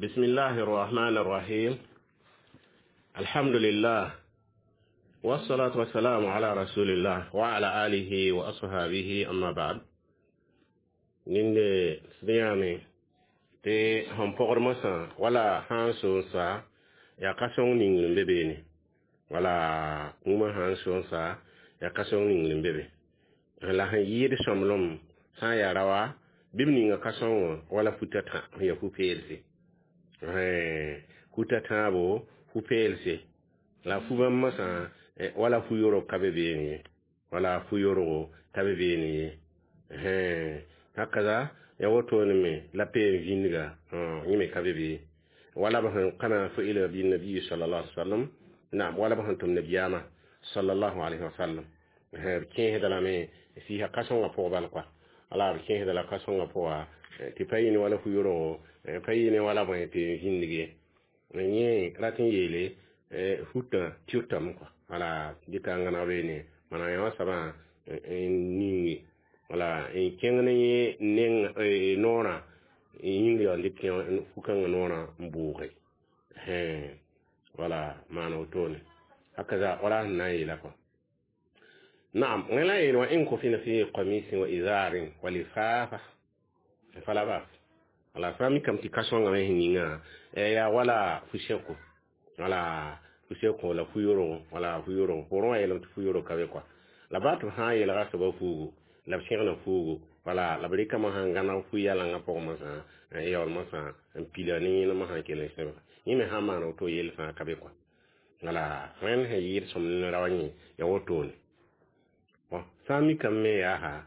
بسم الله الرحمن الرحيم الحمد لله والصلاة والسلام على رسول الله وعلى آله وأصحابه أما بعد ninde sẽyame tɩ sẽn pɔgd mosã wala sã n soon sa yaa ka-sõng ning n be beene wala kũumã sã n soon sa yaa ka-sõng ning n be be la sẽn yɩɩd sõmblem sã n yaa raoa bɩ b ninga ka-sõngõ wala futa tã sẽn yaa fu-peelse futa tãabo fu-peelse la fu-bãmb mosã wala fu-yorg ka be beene ye wala fu-yorgo ka be beene ye hakaza ya wotone me la pe vinga yẽ me ka be be wala b sẽn kama fu'ila bi nabi sallallahu alaihi wasallam naam wala b sẽn tʋm nabiyaamã sallallahu alaihi wasallam b kẽesda lame sɩɩsa ka-sõngã pʋg bal kɔa wala b kẽesda la ka-sõngã pʋga tɩ pa yɩ ne wala fu-yorgo pa yɩ ne wala bõe tɩ zĩndig ye yẽ rat n yeele futã tɩʋtame kɔa wala dɩka n gãneg beene maana yã wã soabã n ningi wala n kẽng ne yẽ neng noorã yĩng yaa n dɩk fu-kãngã noorã n bʋʋge wala maana wotone hakaza wala sẽn na n yeela kɔa نعم ولا يل وإن كفن في قميص وإزار ولفافة فلا بأس wala sã mikame tɩ ka-sõngã me sẽn yĩnga yaa wala fu-sẽko wala fu-sẽko la fu-yorgo wala fu-yorgo pʋrẽ wã yeelame tɩ fu-yorg ka be kɔa la baa tɩ b sã n yeelga soaba fuugu la b sẽgna fuugu wala la b rɩkame sãn gãneg fu-yalengã pʋgẽ mosã n yaool mosã n pila ne yẽnem sã n kell n sẽbga yẽ me sã n maan woto yell fãa ka be kɔa wala wẽnd sẽn yɩɩd sõmb ne rao yẽ ya wotone bon sã n mikame me yaa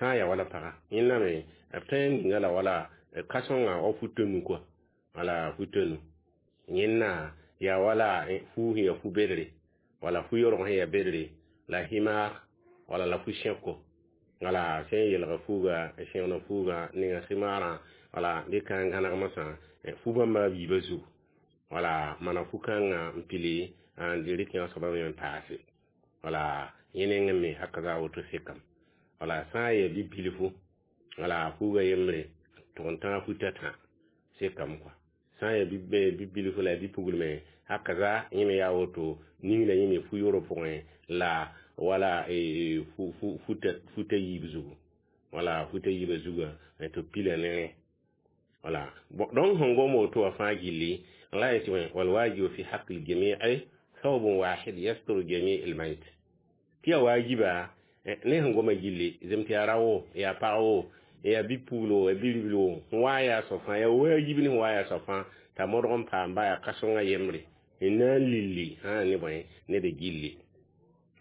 sã n yaa wala paga yẽnda me b tõe n ninga la wala ka-sõngã wa fu-tonu kɔa wala fu-tonu yẽnna yaa wala fu sẽn yaa fu-bedre wala fu-yorg sẽn yaa bedre la himar wala la fu-sẽko wala sẽn yelga fuuga sẽgna fuuga ninga himarã wala dɩka n gãneg mosã fu-bãmba a biibã zugu wala mana fu-kãngã n pili n rɩk yã soabã me n paase wala yẽ nengẽ me hakaza woto sekame wala sã n yaa bi-bilfu wala fuuga yembre tʋg n tãag futa tã sekame kɔa sã n yaa bi-bilfu la bi-puglme hakaza yẽ me yaa woto ning la yẽ me fu-yorg pʋgẽ la wala futa yiib zugu wala futa yiibã zugã tɩ b pila ne rẽ wala donc sẽn gom woto wã fãa gilli la yetɩ والواجب في حق الجميع ثوب واحد يستر جميع الميت tɩ yaa waajiba ne sẽn goma gilli zem tɩ yaa rao yaa pag wo yaa bi-puglo yaa bi-ribl wo sẽn wa yaa soab fãa yaa waajib ne sẽn wa yaa soab fãa t'a modg n paam ba yaa ka-sõngã yembre n na n lilli sã ne bõe ned gilli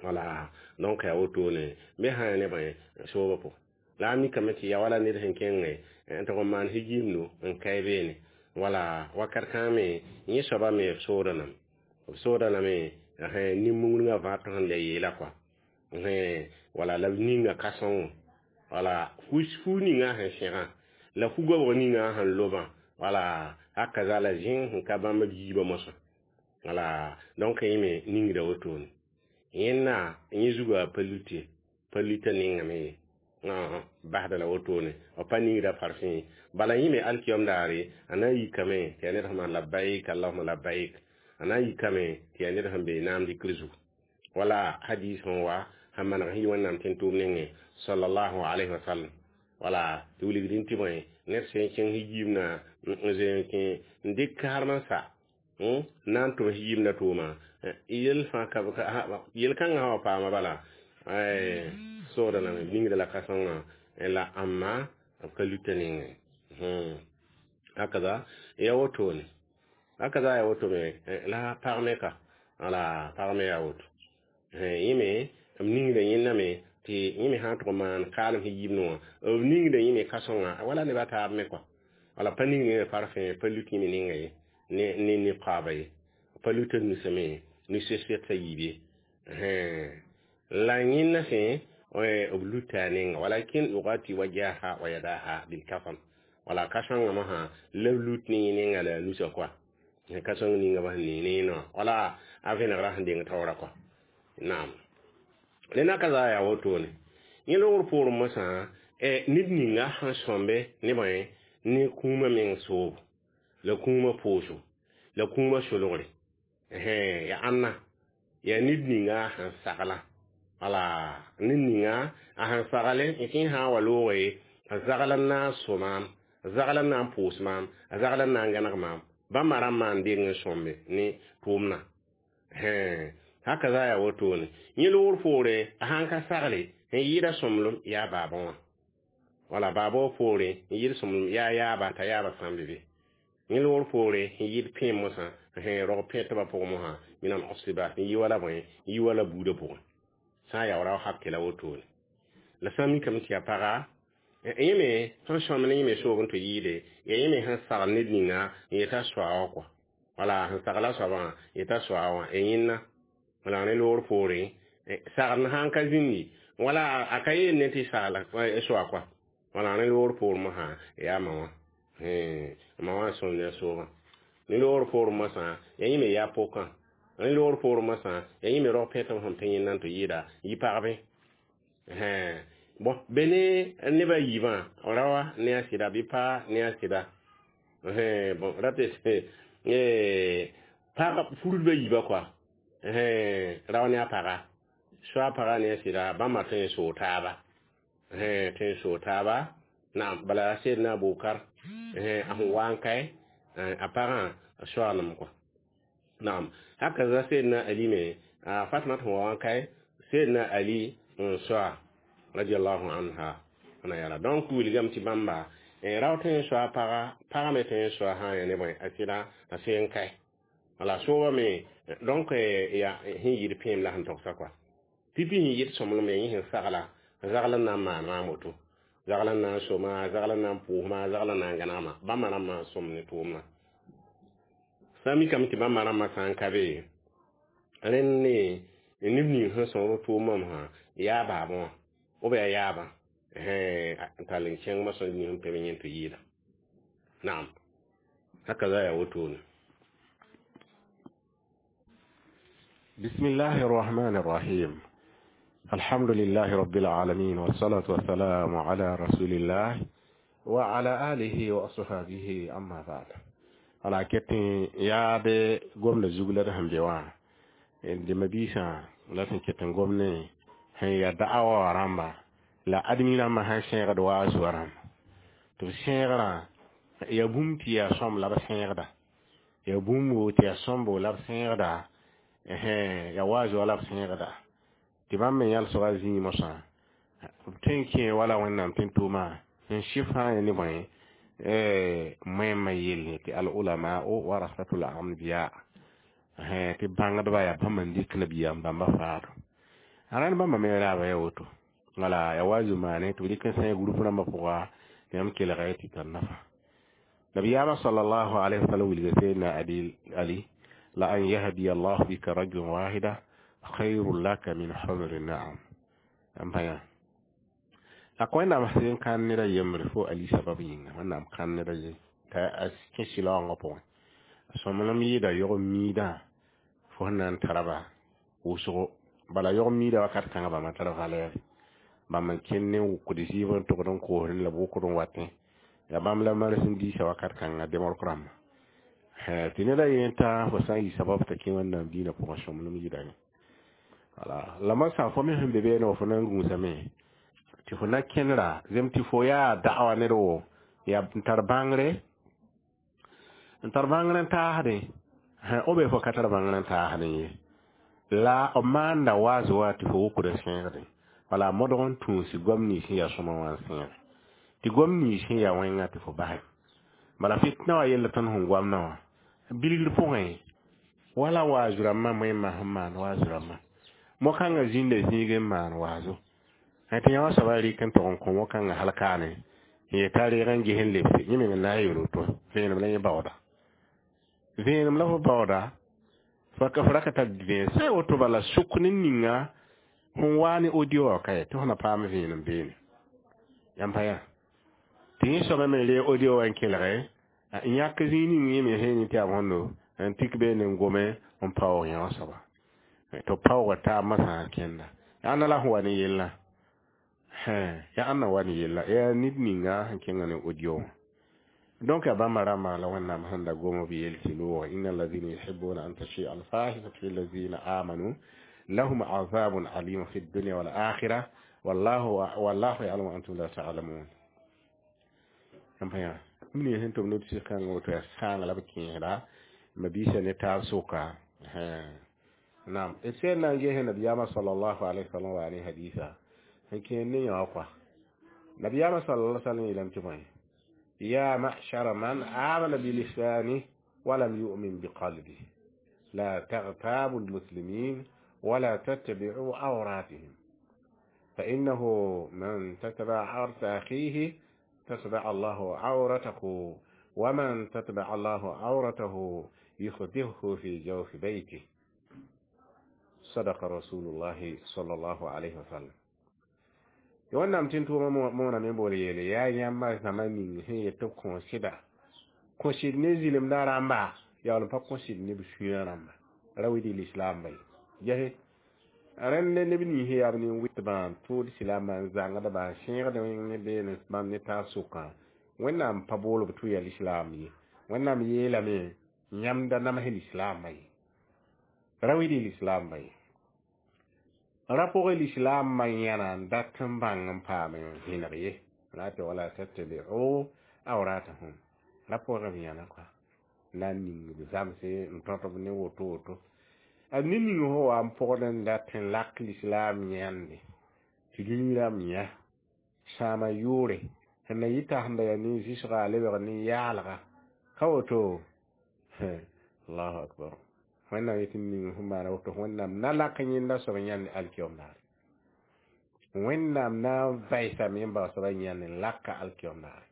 wala donc yaa wotone me sã ya ne bõe soobã pʋgẽ la a mikame tɩ ya wala ned sẽn kẽngẽ n tʋg n maan hijiimdo n kae beene wala wakat kãng me yẽ soabã me b sooda lame b sooda lame nin-mungdgã vãat sẽn le yeela kɔa wala la b ninga ka-sõngo wala fu ninga sẽn sẽgã la fu-goabg ninga sẽn lobã wala hakaza la zẽng sẽn ka bãmb b yiibã mosã wala donc yẽ me ningda wotone yẽnna yẽ zugã pa lut ye pa luta nengame ye basda la wotone b pa ningda farfẽ ye bala yẽ me alkiyom daare a na n yikame tɩ yaa ned sẽn maan labbaik allahuma labbaik a na n yikame tɩ yaa ned sẽn be naam dɩkr zugu wala hadis sẽn wa sẽn maneg sẽn yi wẽnnaam tẽn-tʋʋm nengẽ sallallahu alayhi wa sallam wala tɩ wilgdẽ tɩ bõe ned sẽn kẽng hijiimna n zoe n kẽ n dɩk kaarem n sa n na n tʋm hijiimda tʋʋma yel fãa ka yel-kãngã sã wa paama bala sooda lame ningda la ka-sõngã la ãmma b ka luta nengẽ hakaza ya wotone hakaza ya woto me la pag me ka wala pag me yaa woto yẽ me b ningda yẽnda me tɩ yẽ me sã n tʋg n maan kaalem sẽn yiib wã b ningda yẽ me ka-sõngã wala neb a taab me kɔa wala pa ning yẽ parfẽ pa lut yẽ me ninga ye ne niqaaba ye pa luta nusame nu-sɛsɛtã yiib ye la yẽnda sẽ b luta a nenga walakin yugati wajaha wa yadaha bilkafan wala ka-sõngã mosã la b lut ne yẽ nenga la a nusa kɔa ka-sõng ninga ba sẽn ne ne wala a vẽnegrã sẽn deng taoora kɔa naam rẽnda ka zaa yaa wotone yẽ logr poorẽ mosã ned ninga sẽn sõmbe ne bõe ne kũumã meng soobo La kũumã pooso la kũumã solgre ya ãnna ya ned ninga sẽn sagla wala ned ninga a sẽn sagl n kẽ sã n wa looge a zagl n na n so maam a zagl n na n pʋʋs maam a zagl n na n gãneg maam bãmba rãmbã n deng n sõmbe ne tʋʋmdã haka za yaa wotone yẽ loogr poore a sãn ka sagle n yɩɩda sõmblem yaa baabã wã wala baabã wã poore n yɩɩd sõmblem yaa yaaba t'a yaaba sã n be be yẽ loogr poore n yɩɩd pẽem mosã rog pẽ tɩba pʋgẽ mosã minam ɔsiba n yɩ wala bõe n yɩ wala buudã pʋgẽ sã n yaa rao hake la wotone la sã n mikame tɩ yaa paga yẽ me sẽn sõmb ne yẽ me soog n tɩ yɩɩde yaa yẽ me sẽn sagl ned ninga n yeta soa wã kɔa wala sẽn sagla soabã yeta soa wã y yẽnna wala ne loogr poore sagl sãn ka zĩndi wala a ka yeel ne tɩ sagla soa kɔa wala ne loogr poor mosã yaa ma wã ma wã sõm ne a soogã ne loogr poor mosã yaa yẽ me yaa pokã ne loogr poor mosã yaa yẽ me rog pẽtb sẽn pẽ yẽnna n tɩ yɩɩda yɩ pagbe bon be ne neba yiibã rawa ne a sɩda bɩ paa ne a sɩda bon rate pag furudbã yiibã kɔa rao ne a paga soa paga ne a sɩda bãmba tõe n soog taaba tõe n soog taaba naam bala a Seydina Abubakar a sẽn wa n kae a pagã a soaglem kɔa naam haka za Seydina Ali me a Fatma sẽn wa n kae Seydina Ali n soa radiallahu anha ana yala donc wilgame tɩ bãmba rao tõe n soa paga paga me tõe n soa sã n yaa ne bõe a sɩda a sẽn n kae wala sooba me donc ya sẽn yɩɩd pẽem la sẽn togsa kɔa pipi sẽn yɩɩd sõmblem ya yẽ sẽn sagla zagl n na n maan maam woto zagl n na n soma zagl n na n pʋʋsma zagl n na n gãnegma bãmba rãmbã n sõm ne tʋʋmdã sã n mikame tɩ bãmba rãmbã sã n ka be rẽnd ne neb ning sẽn sõsd tʋʋmã mosã yaa baabã wã b yaa yaabã n tall n kẽng mosã ning sẽn pẽ yẽ tɩ yɩɩda naam haka za yaa wotone بسم الله الرحمن الرحيم الحمد لله رب العالمين والصلاة والسلام على رسول الله وعلى آله وأصحابه أما بعد على كتن يا دي قوم لزوغ لدهم جوا دي مبيسا لكن كتن قوم هي دعوة رامبا la admi rãmbã sãn sẽegd wa a zoa rãmba tɩ b sẽegrã ya bũmb tɩ yaa sõm la b sẽegda ya bũmbo tɩ yaa sõmbo la b sẽegda ya wa a zoa la b sẽegda tɩ bãmb me yãlsga zĩig mosã b tõe n kẽ wala Wẽnnaam tɩ n tʋʋma n sɩf sã n ya ne bõe moẽmã yelle tɩ al-ulamau warasatul anbiya tɩ bãngdba yaa bãmb n dɩk nabiyaam bãmba faado a rãnd bãmba me raaba ya woto wala ya wazu maane tɩ b dɩk n sã group rãmbã pʋga tɩ yãmb kelga tɩ tar nafa nabiyaamã sallallahu alaihi wasallam wilga sayyidina ali la an yahdiya allah bika rajulan wahida khairun laka min humri na'am n pa yã la ka Wẽnnaam sẽn kãn ned a yembre fo ali sabab yĩnga Wẽnnaam kãn ned a ye t'a a kẽ sɩlaoongã pʋgẽ a sõmblem yɩɩda yog-miidã fo sẽn na n tara ba wʋsgo bala yog-miidã wakat kãngã bãmba tar valɛɛre bãmb n kẽnd ne wʋkd zɩɩb n togd n koosd la b wʋkd n watẽ ya bãmb la mares n diisa wakat kãngã demork rãmba tɩ ned a yen tã fo sã n yɩ sabab t'a kẽ Wẽnnaam diinã pʋgẽ sõmblem yɩɩda yẽ wala la masã fo me sẽn be beene wa fo na n gũusame tɩ fo na kẽndra zem tɩ fo yaa da'wa ned wo yaa n tar bãngre n tar bãngr n taasdẽ o be fo ka tar bãngr n taasdẽ ye la b maanda waaz wa tɩ fo wʋkd n sẽegdẽ wala modg n tũusi goam nins sẽn yaa sõma wã n sẽege tɩ goam nins sẽn yaa wẽnga tɩ fo basɛ bala fitna wã yella tõnd sẽn goamdã wã bilgr pʋgẽ wala waazu rãmbã moẽmã sẽn maan waazu rãmbã mo-kãngã zĩnda zĩig n maan waazo tɩ yã wã soabã rɩk n tog n kõ mo-kãngã hal kaane n yeta reeg n ges n lebse yẽ meng n na n yel woto vẽenem la yẽ baooda vẽenem la fo baooda fo ra ka tar vẽen sã woto bala sʋk ne ninga sẽn waa ne audio wã ka ye tɩ fo na paam vẽenem beene yãmb pa yã tɩ yẽ soabã me reeg audio wã n kelge n yãk zĩig ning yẽ me sẽn tɩ yaa bõndo n tik beene n gome n paoog yã wã soaba tɩ b paooga taab masã n kẽnda yaa ãnna la sẽn wa ne yellã yaa ãnna wa ne yella yaa ned ninga sẽn kẽngã ne audio wã Donc a bãmba rãmbã la Wẽnnaam sẽn da gom b yel tɩ loog inna alladhina yuhibbuna an tashia alfahishatu fi alladhina amanu lahum azabun alim fi dunya wal akhirah wallahu ya'lamu wa antum la ta'lamun. N pa yã mini sẽn tʋm neb sɩs-kãngã woto yaa sãanga la b kẽesda mabiisã ne taab sʋka. Naam, d sẽn na n ges nabiyaamã sallallahu alaihi wasallam wa ne hadisa sẽn kẽer ne yã wã kɔa. Nabiyaamã sallallahu alaihi wasallam yeelame tɩ bõe: يا معشر من آمن بلسانه ولم يؤمن بقلبه لا تغتابوا المسلمين ولا تتبعوا عوراتهم، فإنه من تتبع عورة أخيه تتبع الله عورته، ومن تتبع الله عورته يخدهه في جوف بيته. صدق رسول الله صلى الله عليه وسلم. Wẽnnaam tɩ n tʋʋmã mooname n bool yeele yaa yãmba zãma ning sẽn yet tɩ b kõ sɩda kõ sɩd ne zɩlemdã rãmba yaool n pa kõ sɩd ne b sũyã rãmba ra wɩd lislaamba ye gese rẽnd ne neb nins yaa b nin-wɩtbã n tʋʋd silaambã n zãngdba n sẽegd ne beene bãmb ne taab sʋkã. Wẽnnaam pa bool b tɩ yaa lislaam ye. Wẽnnaam yeelame yãmb da namsẽ lislaambã ye, ra wɩd lislaambã ye, ra pʋgẽ lislaambã yãna n dat n bãng n paam n zẽneg ye la tɩ wala tattabi'u awratahum ra pʋgẽ b yãna kɔa na n ning b zãmse n tõt b ne woto woto a ne ning fo wa n pʋgd n dat n lak lislaam yãnde tɩ dũni rãmb yã sãama yʋʋre sẽn na yɩ tasenda yaa nin-zɩsga a lebg nin-yaalga ka woto. Allahu akbar. Wẽnnaam yetɩ ning sẽn maana woto Wẽnnaam na lak yẽnda soab yãnd alkiom daare. Wẽnnaam na n vaɩsame n bao soaba yãnd n laka alkiom daare.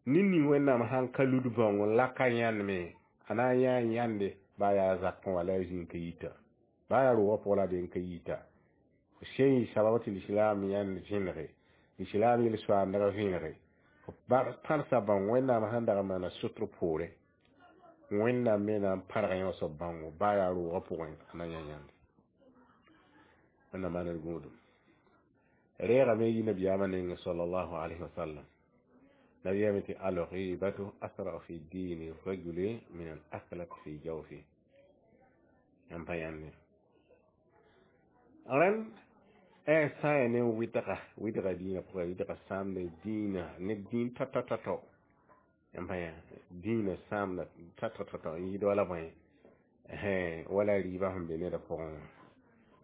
Ne ning Wẽnnaam sãn ka lud bãong n laka yãndme a na n yãa yãnde baa yaa zakẽ wala yaa zĩig ka yita baa yaa roogã pʋgã la a be n ka yita sẽn yɩ sabab tɩ lislaam yãnd zẽnege lislaam yel-soaandg vẽnege pãrsa bãong Wẽnnaam sãn dag n maana sotr poore Wẽnnaam me na n pãrg yã soab bãongo baa yaa roogã pʋgẽ a na yã yãnde. Wẽnnaam maan d gũudum reegame yi nabiyaamã neng sallallahu alayhi wa sallam. Nabiyaame tɩ alghibatu asra fi dini rajuli min al aklat fi jawfi yãmb pa yãnde rẽnd sã n yaa ne wɩdga wɩdga dĩinã pʋgã wɩdga sãamda dĩinã ne dĩin tao-tao-tao yãmb pa yã dĩinã sãamda tao-tao-tao n yɩɩd wala bõe wala rɩɩbã sẽn be neda pʋgẽ wã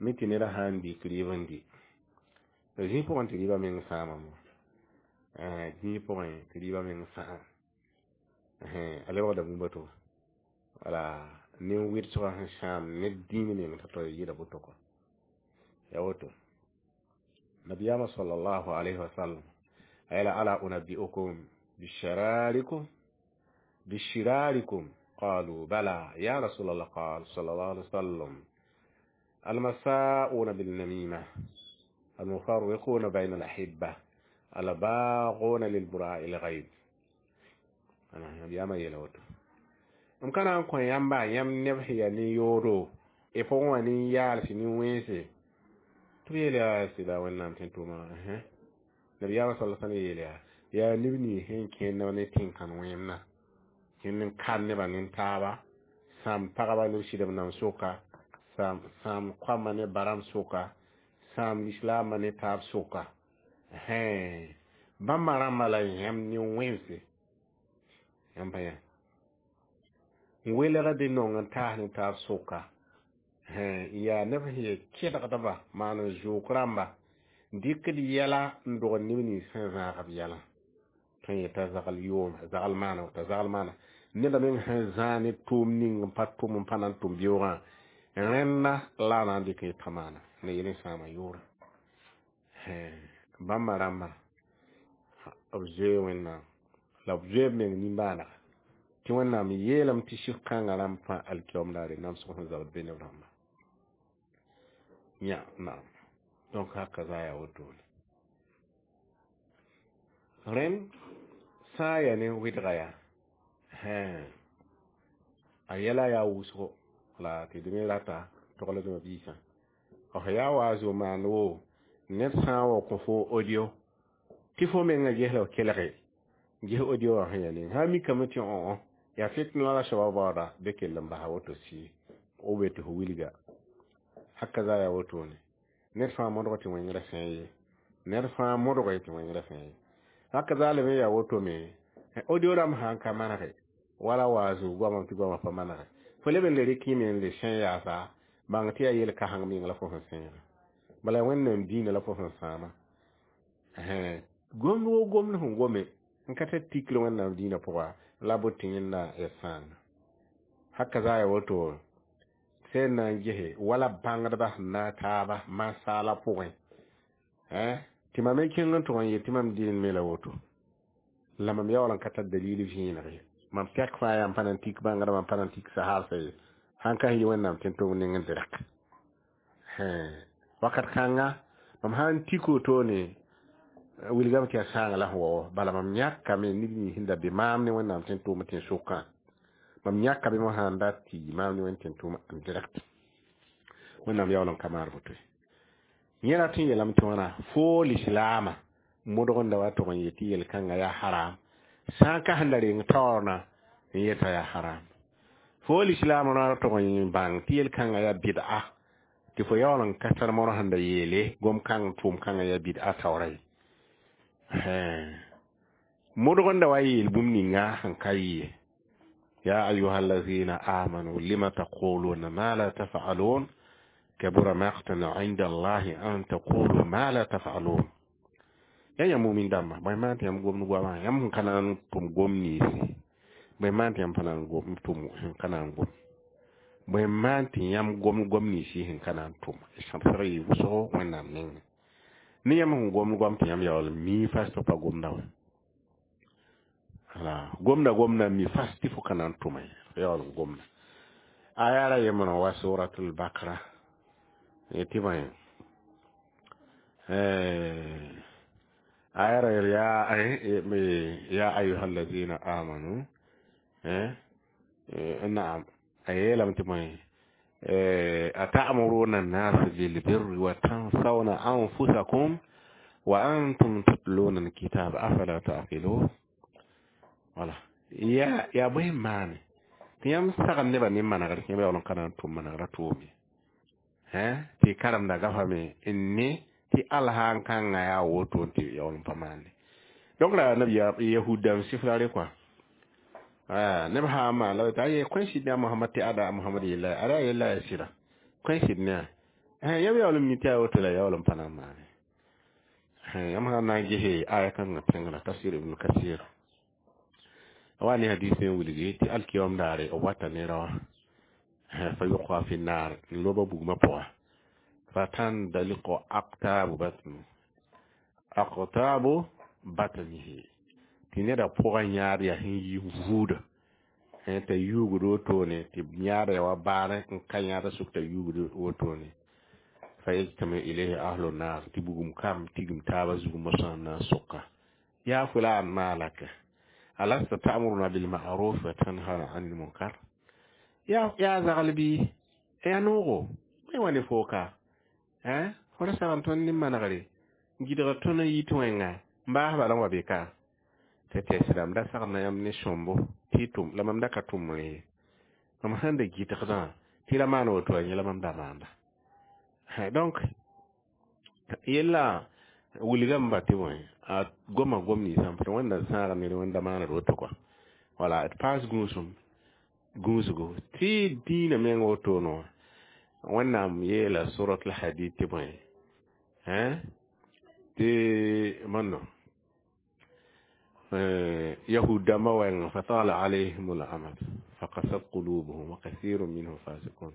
mi tɩ neda sã n dɩk rɩɩb n dɩ zĩig pʋgẽ tɩ rɩɩbã meng sãamame dĩig pʋgẽ tɩ rɩɩbã meng sãam a lebgda bũmb to wala nin-wɩdsgã sẽn sãam ne dĩin meng tao-tao yɩɩda boto kɔ ya woto. Nabiyaamã sallallahu alayhi wa sallam a yeela ala unabbi'ukum bishirarikum bishirarikum qalu bala ya rasul Allah qal sallallahu alayhi wa sallam المساءون بالنميمة المفرقون بين الأحبة الباغون للبراء الغيب. أنا نبيامã yeela woto m ka na n kõ yãmba yãmb neb sẽn yaa nin-yoodo y pʋgẽ wã nin-yaalsɩ nin-wẽnse tɩ b yeel yaa sɩda Wẽnnaam tɩ n tʋʋma. Nabiyaamã sala sallam yeel yaa yaa neb nins sẽn kẽnd ne tẽn-kãn wẽemdã kẽnd n kan nebã nin-taaba sãam pagba ne b sɩdb nam sʋka sãam koamã ne barãmb sʋka sãam lislaambã ne taab sʋka bãmba rãmba la yãmb nin-wẽnse yãmb pa yã n welgd nong n taas ne taab sʋka yaa neb sẽn yaa kẽdgdba maan n zʋʋk rãmba dɩkd yɛla n dog neb nins sẽn zãag b yɛlã tõe n yeta zagl yooma zagl maana t'a zagl maana neda meng sẽn zãag ne tʋʋm ning n pa tʋm n pa na n tʋm beoogã rẽnda la a na n dɩk n yeta maana ne yel n sãama yʋʋrã bãmba rãmba b zoe Wẽnnaam la b zoe b meng nimbãanega tɩ Wẽnnaam yeelame tɩ sɩf kãngã rãmb fãa alkiom daare namsg sẽn zabd be neb rãmba yã naam. Donc haka za yaa wotone rẽnd sã n yaa ne wɩdga yaa a yɛla yaa wʋsgo la tɩ d me rata togl d mabiisã f yaa wa zo maan wo ned sã n wa kõ fo audio tɩ fo menga gesla f kelge Ges audio wã sẽn yaa ning sã n mikame tɩ õ yaa fitna la soaba baooda bɩ kell n basa woto sɩ o be tɩ fo wilga. Haka za yaa wotone ned fãa modg tɩ wẽngrã sẽn ye, ned fãa modg tɩ wẽngrã sẽn ye. Haka za lame yaa woto me audio rãmb sã n ka manege wala waazu goamame tɩ goamã pa manege, fo leb n le rɩk yẽ me n le sẽn yaasa, bãng tɩ yaa yel-kãseng meng la fo sẽn sẽega. Bala Wẽnnaam dĩinã la fo sẽn sãama. Gomd wo gomd sẽn gome n ka tar tikr Wẽnnaam dĩinã pʋga la bot tɩ yẽnda ya sãanga. Haka za yaa woto sẽn na n gese wala bãngdbã sẽn na n taaba masaala pʋgẽ, tɩ mam me kẽng n tʋg n yet tɩ mam deen me la woto la mam yaool n ka tar dalil vẽeneg ye. Mam tɛk fãa yaa m pa na n tik bãngdbã, m pa na n tik sahaabsã ye, sãn ka yɩ Wẽnnaam tẽn-tʋmd ning n direk. Wakat kãnga mam sã n tik wotone wilgame tɩ yaa sãanga la sẽn wa, bala mam yãkame neb nins sẽn da be maam ne Wẽnnaam tẽn-tʋʋm tẽn-sʋkã, mam yãka be mosã n dat tɩ yɩ maam ne Wẽnd tẽn-tʋʋm n direct. Wẽnnaam yaool n ka maan woto ye. Yẽ rat n yeelame tɩ wãna fo lislaamã modg n da wa tʋg n yet tɩ yel-kãngã yaa haram, sã n ka sẽn da reng taoornã n yeta yaa haram. Fo lislaamã ra tʋg n bãng tɩ yel-kãngã yaa bɩd'a, tɩ fo yaool n ka tar modg sẽn da yeele gom-kãng tʋʋm-kãngã yaa bɩd'a taoora ye. Modg n da wa yeel bũmb ninga sẽn ka yɩ ye. Ya ayuha allazina amanu lima taquluna ma la taf'alun kabura maqtan 'inda Allahi an taqulu ma la taf'alun. Ya yãmb mumin dãmba, bõe maan tɩ yãmb gomd goamã, yãmb sẽn ka na n tʋm gom ninsi, bõe maan tɩ yãmb pa na n gom tʋm sẽn ka na n gom, bõe maan tɩ yãmb gomd gom ninsi sẽn ka na n tʋm, sãbsg yɩ wʋsgo Wẽnnaam nengẽ. Ne yãmb sẽn gomd goam tɩ yãmb yaool n mii fas tɩ pa gomda wã. Wala gomda gomda mi fas tɩ fo ka na n tʋma ye, fo yaool n gomda. Aya ra yembrã wa suratul Bakra tɩ bõe aya ra ya ayuha allazina amanu, naam, a yeelame tɩ bõe ata'muruna an-nasa bil-birri wa tansawna anfusakum wa antum tatluna al-kitaba afala ta'qilun. Wala yaa bõe n maane tɩ yãmb sagd nebã ne manegr tɩ yãmb yaool n ka na n tʋm manegrã tʋʋm ye, tɩ karemda gafame n ne tɩ alhaan kãngã yaa woto tɩ yaool n pa maande. Donc la nabiyaam yahud dãmb sɩf la re kɔa neb sã n maan la t'a ye kõ sɩd ne a Mohamad tɩ ada Mohamad yella ada yella yaa sɩda kõ sɩd ne a yãmb yaool n mi tɩ yaa woto la yaool n pa na n maane. Yãmb sã n na n gese aya kãngã pẽngrã tafsir Ibn Kasir wa ne hadis n wilgi tɩ alkiyom daare b wata ne raoã fa yʋka fi naar n loba bugmã pʋga fa tandaliqu aqtabu batnu aqtabu batnihi tɩ neda pʋgã yãad yaa sẽn yi vuuda t'a yuugd wotone tɩ yãad yaa wa baarẽ n ka yãada sʋk t'a yuugd wotone fa yajtami ilayhi ahlu naar tɩ bugum kam tigim taabã zug mosã n na n soka yaa fulan ma laka alasta ta'muruna bil ma'ruf wa tanhana 'anil munkar ya zagl bɩ ya noogo bõe wa ne fooka fo ra sag n tõnd ne manegre n gɩdgd tõnd n yit wẽnga n baas bala n wa be ka tɩ tɛs rãmb da sagd na yãmb ne sõmbo tɩ y tʋm la mam da ka tʋm ye, mam sẽn da gɩdgdã tɩ ra maan woto a yẽ la mam da maanda. Donc yella wilgame ba tɩ bõe a goma gom ninsã n Wẽnda sãag ned Wẽnda maaned woto kɔa wala d paas gũusum gũusgo tɩ dĩinã meng wotoone wã. Wẽnnaam yeela surat al-Hadid tɩ bõe tɩ manno yahud dãmbã wɛɛngã fatala alayhim al-amad faqasat qulubuhum wa kathirun minhum fasiqun.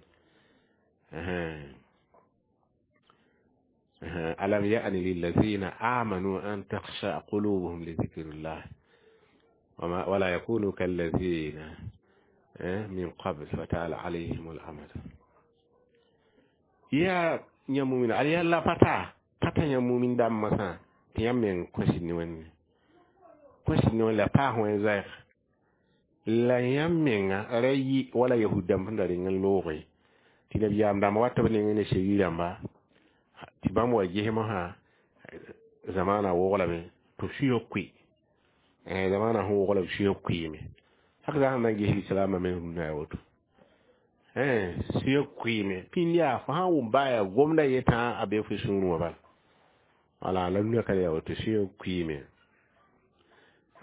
Alam ya'ni lillazina amanu an takhsha qulubuhum li dhikrillah wala yakunu kallazina min qabl fatala alayhim al-amad. Ya yãmb mumin al yalla pata pata yãmb mumin dãmbã sã tɩ yãmb meng kõsd ne Wẽnde kõsd ne Wẽnd la paas wẽn zaɛg la yãmb menga ra yɩ wala yahud dãmb sẽn da reng n looge tɩ nabiyaam dãmba wat b nengẽ ne sheri rãmba tɩ bãmb wa ges mosã zamaana woglame tɩ b sũyã koe Zamaanã sẽn wog la b sũyã kʋɩɩme hak zã sẽn na n ges lislaambã me rũndã yaa woto sũyã kʋɩɩme pĩnd yaa fo sã n wʋm baa yaa gomda yetã a be fo sũurẽ wã bala wala la rũndã ka le yaa woto sũyã kʋɩɩme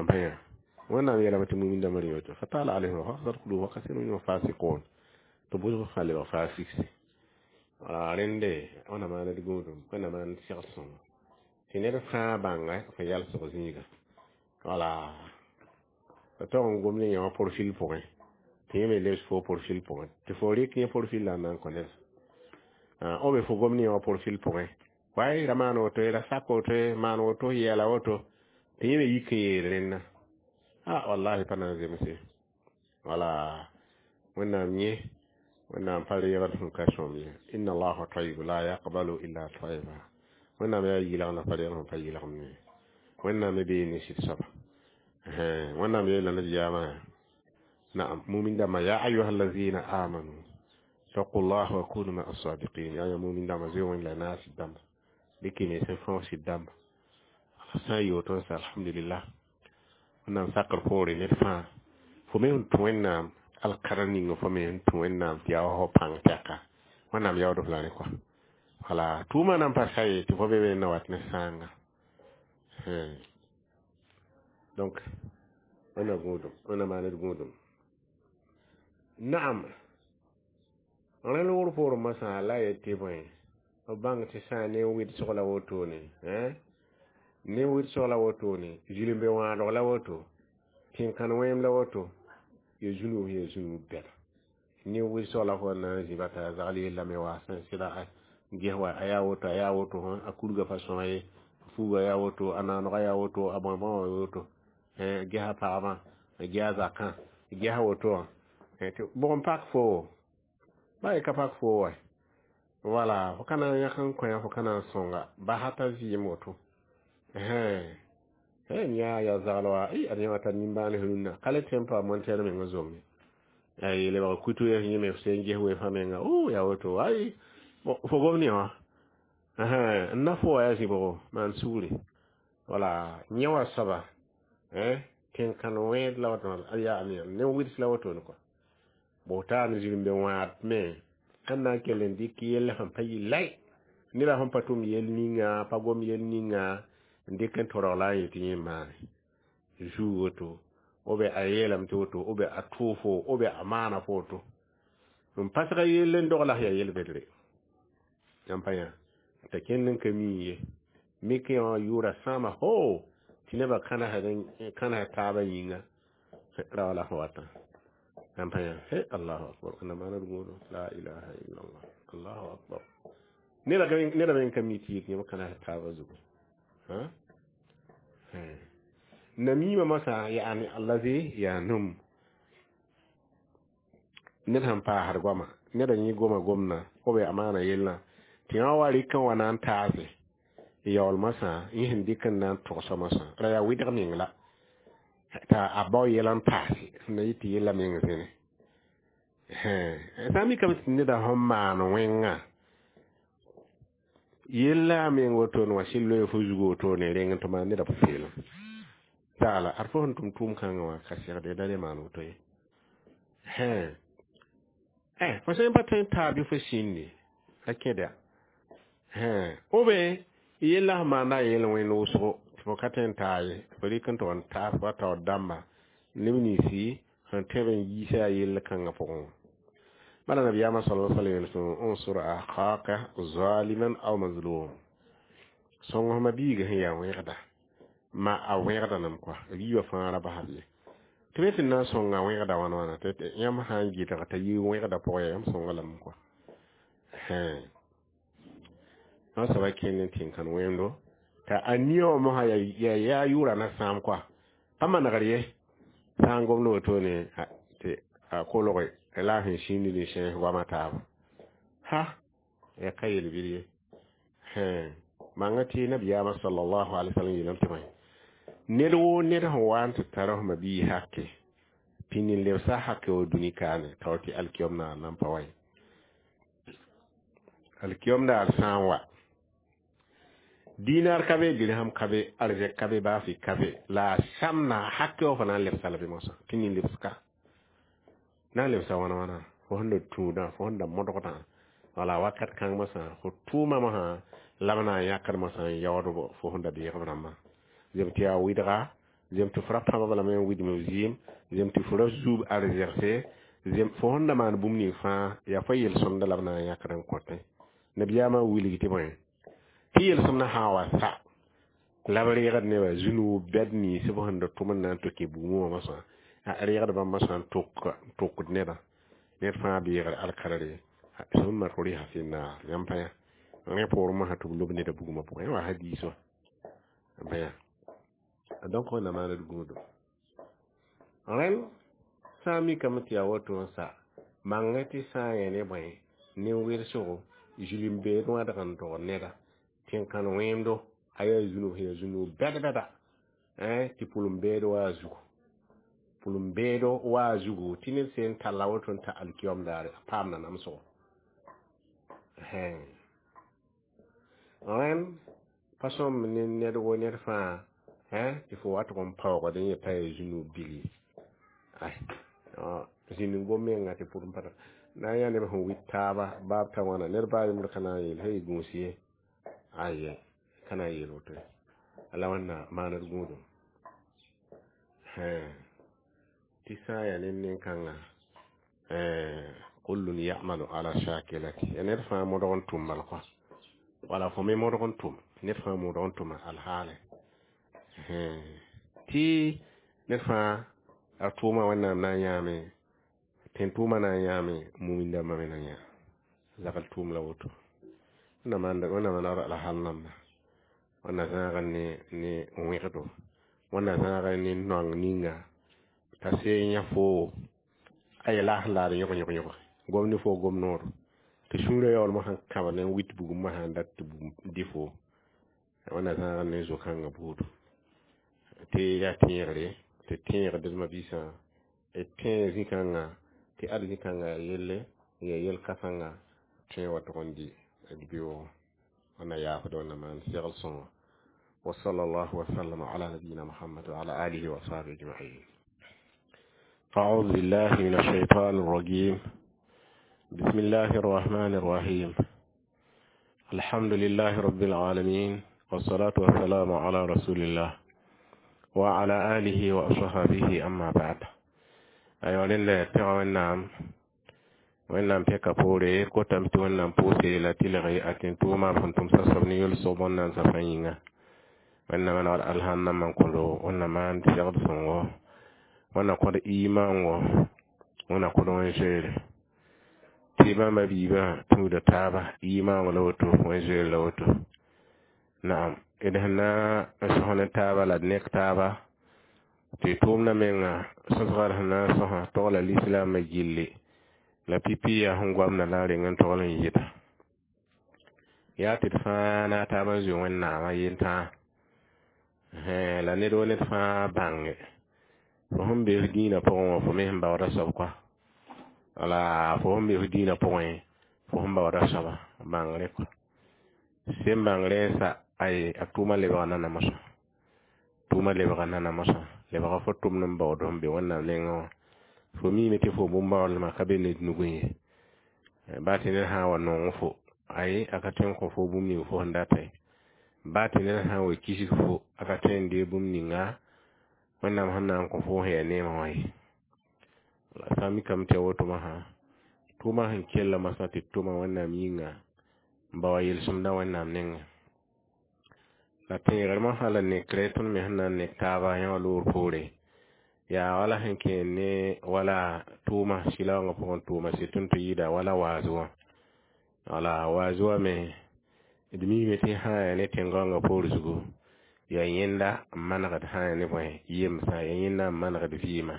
n pa yã wẽnnaam yeelame tɩ mumin dãmbã rẽ woto fatala alayhim faqsat qulub wa kasirun minhum fasiqun tɩ bʋsg fãa lebg fasikse wala rẽnde wẽnnaam maan d gũudum wẽnnaam maan d seg sõngo tɩ ned fãa bãnga fo yalsg zĩiga wala tɩ tog n gom ne yã wã profil pʋgẽ tɩ yẽ me lebs fo profil pʋgẽ tɩ fo rɩk yẽ profil la n na n kõ ned o be fo gom ne yã wã profil pʋgẽ way ra maan woto ye ra sak woto ye maan woto yɛɛla woto tɩ yẽ me yik n yeel rẽnna a wallahi pa na n zemse wala wẽnnaam yẽ wẽnnaam pa reegd sẽn ka sõm ye inna allaha tayib la yaqbalu illa tayiba wẽnnaam yaa yɩlgna pa reegd sẽn pa yɩlgem ne wẽnnaam me bee ne sɩd soaba wẽnnaam yeela nabiyaamã naam mumin dãmbã ya ayuha allazina amanu taqu llah wa kunu maa sadiqin yaa yã mumin dãmbã zoe wẽnd la naas sɩd dãmba dɩk y nens n fãoog sɩd dãmba sã n yoot n sa alhamdulillah wẽnnaam sakr poore ned fãa fo me sẽn tũ wẽnnaam alkara ning fo me sẽn tũ wẽnnaam tɩ yaa wa fo pãng tɛka wẽnnaam yaood f la rẽ kɔa wala tʋʋmã nan pa sa ye tɩ fo be na wat ne sãanga donc wẽnna gũudum wẽnna maan d gũudum naam rẽ loogr poorẽ masã la yet tɩ bõe b bãng tɩ sã n ne wɩdsg la wotone ne wɩdsg la wotone zĩlembe wãadg la woto tẽn-kãn wẽem la woto ya zũnub ya zũnub bɛda ne wɩdsg la fo na n zĩ t'a zagl yellame wa sẽn sɩda ges wa a yaa woto a yaa woto a kurga pa sõma ye fuuga yaa woto a naanega yaa woto a bõe bõe woto gesa pagba gesa zakã gesa woto wã tɩ bʋg n pak fo ba ye ka pak fo wa wala fo ka na n yãk n kõ fo ka na n sõnga basa t'a vɩɩm woto yaa ya zagl wa ad yã wa tar nimbãan rũnnã ka le tõe n pa montɛɛr meng zom ye lebg kutu yẽ me f sẽn ges we-fã menga o yaa woto ay fo gom ne wã n na fo wa yaa zĩ-bʋgo maan sugri wala yẽ wa soaba tẽn-kãn wẽed la woto yaa ne wɩds la wotone kɔa bo taan zĩrembe wãad me sẽn na n kell n dɩk yell sẽn pa yɩ lai neda sẽn pa tʋm yell ninga pa gom yell ninga n dɩk n torg la n yetɩ yẽ maane zuu woto o be a yeelame tɩ woto o be a tʋʋfo o be a maana fo woto n pasga yell n dog la yaa yel-bɩdre yãmb pa yã t'a kẽnd n ka mi ye mik yã wã yʋʋra sãama ho tɩ nebã kãnesd taabã yĩnga ra wala sẽn watã yãmb pa yã he allahu akbar wẽnna maana d gũudu la ilaha illallah allahu akbar neda me n ka mi tɩ yik yãmb kãnesd taabã zugu namima masã yaani allazi yanum ned sẽn paasd goama neda yẽ goma gomna o be amaana yellã tɩ yã wa rɩk n wa na n taase yaool masã yẽ sẽn dɩk n na n togsa masã ra yaa wɩdg meng la t'a a bao yɛla n paase sẽn na yɩ tɩ yella meng zẽne sã n mikame tɩ neda sẽn maan wẽngã yella a meng wotone wã sɩd loe fo zugu wotone reng n tɩ maan neda pʋ-peelem taala ad fo sẽn tʋm tʋʋm kãngã wã ka segde da le maan woto ye fo sẽn pa tõe n taa bɩ fo sĩndi a kẽda o be yella sẽn maanda a yel wẽnd wʋsgo tɩ fo ka tõe n taa ye fo rɩk n tʋg n taas wa taoor dãmba neb ninsi sẽn tõe b n yiisa a yell kãngã pʋgẽ wã bala nabiyaamã sala sallam yel unsur akhaka zaliman aw mazlum sõng f ma-biiga sẽn yaa wẽgda ma a wẽgda nem kɔa yiibã fãa ra basd ye tɩ me tɩ na n sõnga wẽgda wãn wãna tɩ yãmb sã n gɩdg t'a yi wẽgda pʋgẽ yaa yãmb sõnga lame kɔa wã soaba kẽnd n tẽn-kãn wẽndo t'a a nia wã mosã yaa yʋʋra na sãam kɔa pa manegr ye sã n gomd wotone tɩ a kolge la sẽn sĩnd ne sẽes goamã taaba ha ya ka yel-bɩd ye manga tɩ nabiyaamã sallallahu alaihi wasallam yeelame tɩ bõe ned woo ned sẽn wa n tɩ tara f ma-bii hake pĩnd n lebsa hake wa dũni kaane tao tɩ alkiyom naar nan pa wa ye alkiyom daar sã n wa Dinar ka be, dirham ka be, arzɛk ka be, baafɩ ka be, la a samna hake wã fo na n lebsa la bɩ mosã tɩ nin lebska na n lebsa wãna wãna fo sẽn da tũudã, fo sẽn da modgdã, wala wakat kãng mosã fo tʋʋma mosã la b na n yãkd mosã n yaood fo sẽn da beeg b rãmbã. Zem tɩ yaa wɩdga, zem tɩ fo ra pãbg lame n wɩdm b zɩɩm, zem tɩ fo ra zuub arzɛgse, zem fo sẽn da maan bũmb ning fãa yaa fo yel-sõmda la b na n yãkd n kõtẽ. Nabiyaamã wilg tɩ bõe tɩ yel-sõmdã sã n wa sa la b reegd nebã zũnug bɛd nins b sẽn da tʋm n na n tɩ kẽ bugmẽ wã mosã, a reegd bãmb mosã n tʋkd nebã ned fãa beegr alkarre summa turiha fi naar. Yãmb pa yã rẽ poorẽ mosã tɩ b lob neda bugmã pʋgẽ wa hadiis wã n pa yã. Donc wẽnna maand gũudum rẽnd sã n mikame tɩ yaa woto n sa mangẽ tɩ sã n yẽ ne bõe nin-wɩlsgo zulm-beed wãdg n dog neda tẽn-kãn wẽemdo a yaa zũnug sẽn yaa zũnug bɛd-bɛda tɩ pʋlem-beed wa a zugu, pʋlem-beedo wa a zugu tɩ ned sẽn talla woto n ta alkiyom daare a paamda namsgo. Rẽnd pa sõmb ne ned wo ned fãa tɩ fo wa tʋg n paoogd n yeta yaa zũnug bil ye. Zĩnd n gom menga tɩ pʋrem pa na n yaa neb sẽn wit taaba baab ta wãna ned baa yembr ka na n yeel hey gũus ye, aye ka na n yeel woto ye. La wẽnna maand gũudum tɩ sã n yaa ned nin-kãnga kullun yamalu ala shakilati ya ned fãa modg n tʋm bal kɔa, wala fo me modg n tʋm, ned fãa modg n tʋma alhaale tɩ ned fãa a tʋʋma wẽnnaam na n yãame tẽn tʋʋma na n yãame mumin dãmbã me na yã zagl tʋʋm la woto. Wẽnna maand alhal namba, wẽnna zãag ne wẽgdo, wẽnna zãag ne noang ninga t'a see yã foo a yela sẽn laad yõg yõg yõg gom ne fo gom noor tɩ sũurã yaool mosã n kãbd n wit bugum mosã n dat tɩ bugum dɩ fo. Wẽnna zãag ne zo-kãngã buudu tɩ yaa tẽegre tɩ tẽegd d mabiisã d tẽ zĩ-kãngã tɩ ad zĩ-kãngã yaa yelle n yaa yel-kãsengã tõe wa tʋg n dɩ d beoogo. Wẽnna yaafd wẽnna maan segl sõngo. وصلى الله وسلم على نبينا محمد وعلى آله وصحبه أجمعين. أعوذ بالله من الشيطان الرجيم. بسم الله الرحمن الرحيم. الحمد لله رب العالمين، والصلاة والسلام على رسول الله وعلى آله وأصحابه، أما بعد. أيها الأخوة تغوى wẽnnaam pɛka poore kotame tɩ wẽnnaam pʋʋse la tɩlg a tẽn-tʋʋma b sẽn tʋm sasb ne yel-soab wẽnnaam safã yĩnga. Wẽnnaam manegd alhãn-nambã n kõdo, wẽnnaam maan segd sõngo, wẽnna kõd imaango, wẽnna kõd wẽn-zoeere tɩ bãmba biibã tũuda taaba imaango la woto, wẽn-zoeer la woto. Naam, d sẽn na n sõs ne taaba la d nek taaba tɩ tʋʋmdã menga sõsga d sẽn na n sõsa togla lislaamã gilli la pipi yaa sẽn goamda la n reng n togl n yɩta yaa tɩ d fãa na a taab n zoe wẽnnaamã yentãa la ned wo ned fãa bãnge fo sẽn be f dĩinã pʋgẽ wã fo me sẽn baooda soab kɔa, wala fo sẽn be f dĩinã pʋgẽ fo sẽn baooda soaba bãngre kɔa sẽn bãngre n sa ay a tʋʋma lebga nana mosã, tʋʋma lebga nana mosã lebga fo tʋmd n baood sẽn be wẽnnaam nengẽ wã. Fo miime tɩ fo bũmb-baoodlmã ka be ned nugẽ ye, baa tɩ ned sã n wa nong fo ay a ka tõe n kõ fo bũmb ning fo sẽn data ye, baa tɩ ned sã n wa kisg fo a ka tõe n deeg bũmb ninga wẽnnaam sẽn na n kõ fo sẽn yaa neemã wã ye. La sã n mikame tɩ ya woto mosã tʋʋmã sẽn kella mosã tɩ d tʋma wẽnnaam yĩnga n ba wa yel-sõmdã wẽnnaam nengẽ la tẽegr mosã la nekre tõnd me sẽn na n nek taaba yã wã loor poore yaa wala sẽn kẽer ne wala tʋʋma sɩlaoongã pʋgẽ tʋʋma sɩtʋn tɩ yɩɩda wala waaz wã, wala waaz wã me d miime tɩ sã n yaa ne tẽn-gaoongã poor zugu yaa yẽnda n manegd sã n yaa ne bõe yemsã yaa yẽnda n manegd vɩɩmã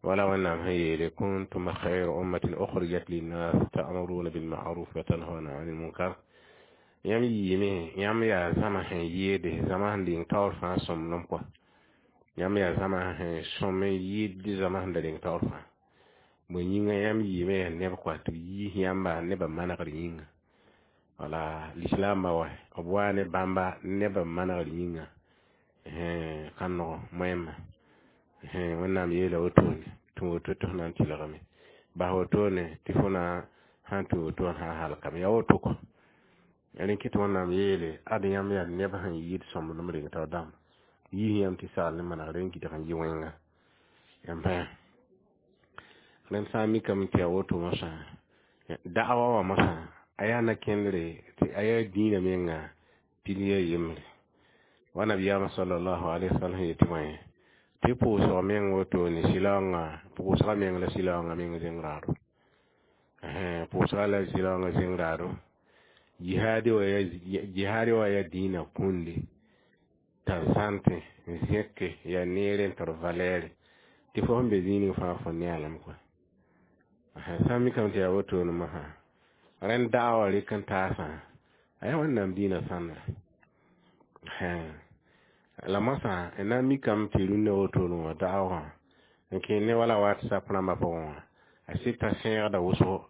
wala wẽnnaam sẽn yeele kuntum khayra ummatin ukhrijat linnas ta'muruna bilma'ruf wa tanhauna 'anil munkar. Yãmb yiime yãmb yaa zãma sẽn yɩɩde zãma sẽn ling taoor fãa sõmblem kɔa, yãmb yaa zãma sẽn sõm n yɩɩd zãma sẽn da ling taoor fãa bõe yĩnga yãmb yiime yaa neb kɔa tɩ b yiis yãmba nebã manegr yĩnga. Wala lislaambã wa b waa ne bãmba nebã manegr yĩnga ka nog moẽmã. Wẽnnaam yeela wotone tũ woto tɩ f na n tɩlgame, bas wotone tɩ fo na sãn tũ woto wã sã n halkame. Yaa woto kɔ rẽ kɩ tɩ Wẽnnaam yeele ad yãmb yaa neb sẽn yɩɩd sõmblem reng taoor dãmba, yiis yãmb tɩ sagl ne manegre n gɩdg n yɩ wẽnga. Yãmb pa rẽnd sã n mikame tɩ yaa woto mosã, da'awa wã mosã a yaa na-kẽndre tɩ a yaa dĩinã menga pilier yembre. Wa nabiyaamã sallallahu alaihi wasallam yetɩ bõe tɩ pʋʋsg meng wotone sɩlaoongã, pʋʋsga meng la sɩlaoongã meng zẽng raado, pʋʋsga la sɩlaoongã zẽng raado. Jihaadi wa yaa dĩinã kũndi t'a zãntẽ n zẽke yaa neere n tar valɛɛre tɩ fo sẽn be zĩig ning fãa fo nealem kɔa. Sã n mikame tɩ yaa wotone mosã, rẽnd da'awa rɩk n taasã a yaa Wẽnnaam dĩinã sãndra. La mosã n na n mikame tɩ rũnnã wotone wã da'awa wã n kẽ ne wala WhatsApp rãmbã pʋgẽ wã, a sɩta sẽegda wʋsgo,